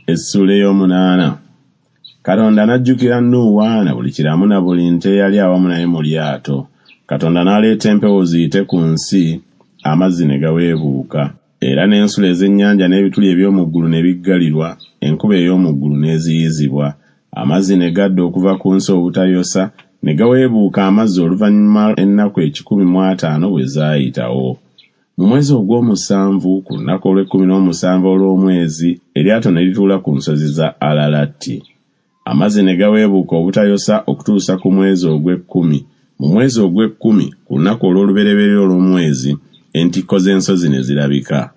Essuula ey'omunaana. Katonda n'ajjukira Nuuwa na buli kiramu na buli nte eyali awamu naye mu lyato. Katonda n'aleeta empewo ziyite ku nsi, amazzi ne gaweebuuka. Era n'ensulo ez'ennyanja n'ebituli eby'omu ggulu ne biggalirwa, enkuba ey'omu ggulu n'eziyizibwa. Amazzi ne gadda okuva ku nsi obutayosa, ne gaweebuuka amazzi oluvannyuma ennaku 150 bwe zaayitawo. Mu mwezi ogw'omusanvu, ku lunaku olw'ekkumi n'omusanvu olw'omwezi, eryato ne lituula ku nsozi za Alalati. Amazzi ne gaweebuuka obutayosa okutuusa ku mwezi ogw'ekkumi. Mu mwezi ogw'ekkumi, ku lunaku olw'olubereberye olw'omwezi, entikko z'ensozi ne zirabika.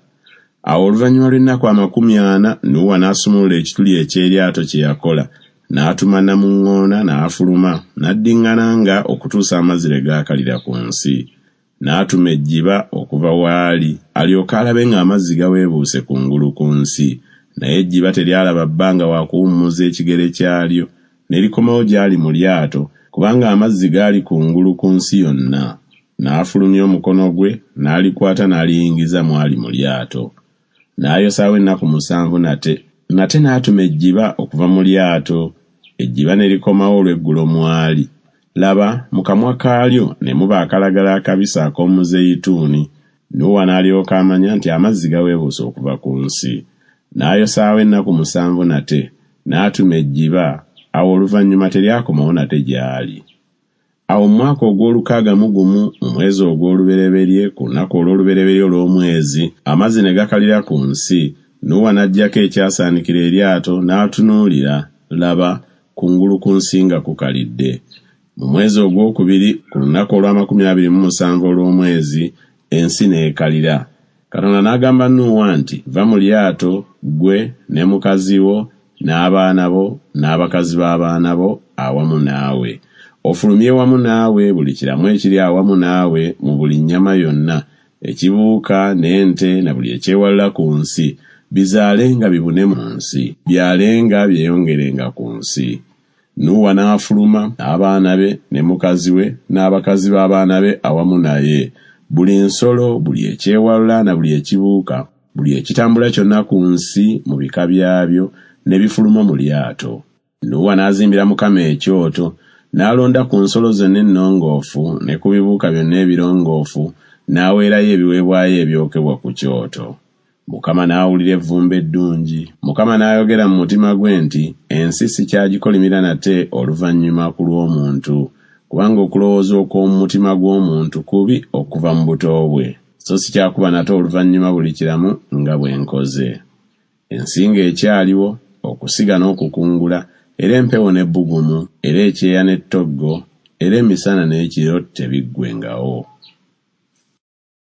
Awo oluvannyuma lw'ennaku 40, Nuuwa n'asumulula ekituli eky'eryato kye yakola, n'atuma namuŋŋoona n'afuluma, n'addiŋŋana nga okutuusa amazzi lwe gaakalira ku nsi. N'atuma ejjiba okuva w'ali, alyoke alabe ng'amazzi gaweebuuse kungulu ku nsi. Naye ejjiba teryalaba bbanga wa kuwummuza ekigere kyalyo, ne likomawo gy'ali mu lyato, kubanga amazzi gaali kungulu ku nsi yonna. N'afulumya omukono gwe, n'alikwata n'aliyingiza mw'ali mu lyato. N'ayosaawo ennaku musanvu nate. Nate n'atuma ejjiba okuva mu lyato, ejjiba ne likomawo olw'eggulo mw'ali. Laba, mu kamwa kaalyo ne muba akalagala akabisi ak'omuzeyituuni. Nuuwa n'alyoka amanya nti amazzi gaweebuuse okuva ku nsi. N'ayosaawo ennaku musanvu nate, n'atuma ejjiba, awo oluvannyuma teryakomawo nate gy'ali. Awo mu mwaka ogw'olukaaga mu gumu, mu mwezi ogw'olubereberye, ku lunaku olw'olubereberye olw'omwezi, amazzi ne gakalira ku nsi, Nuuwa n'aggyako ekyasaanikira eryato, n'atunuulira, laba, kungulu ku nsi nga kukalidde. Mu mwezi ogw'okubiri, ku lunaku olw'amakumi abiri mu musanvu olw'omwezi, ensi n'ekalira. Katonda n'agamba Nuuwa nti, Va mu lyato, ggwe, ne mukazi wo, n'abaana bo, n'abakazi b'abaana bo awamu naawe. Ofulumye wamu naawe buli kiramu ekiri awamu naawe mu buli nnyama yonna, ekibuuka, n'ente, na buli ekyewalula ku nsi, bizaalenga bibune mu nsi, byalenga byeyongerenga ku nsi. Nuuwa n'afuluma, n'abaana be, ne mukazi we, n'abakazi b'abaana be awamu naye. Buli nsolo, buli ekyewalula na buli ekibuuka, buli ekitambula kyonna ku nsi mu bika byabyo, ne bifuluma mu lyato. Nuuwa n'azimbira Mukama ekyoto, n'alonda ku nsolo zonna ennongoofu ne ku bibuuka byonna ebirongoofu, n'aweerayo ebiweebwayo ebyokebwa ku kyoto. Mukama n'awulira evvumbe eddungi. Mukama n'ayogera mu mutima gwe nti, Ensi sikyagikolimira nate oluvannyuma ku lw'omuntu, kubanga okulowooza okw'omu mutima gw'omuntu kubi okuva mu buto bwe, so sikyakuba nate oluvannyuma buli kiramu nga bwe nkoze. Ensi ng'ekyaliwo, okusiga n'okukungula, era empewo n'ebbugumu, era ekyeya n'ettoggo, era emisana n'ekiro tebiggwengawo.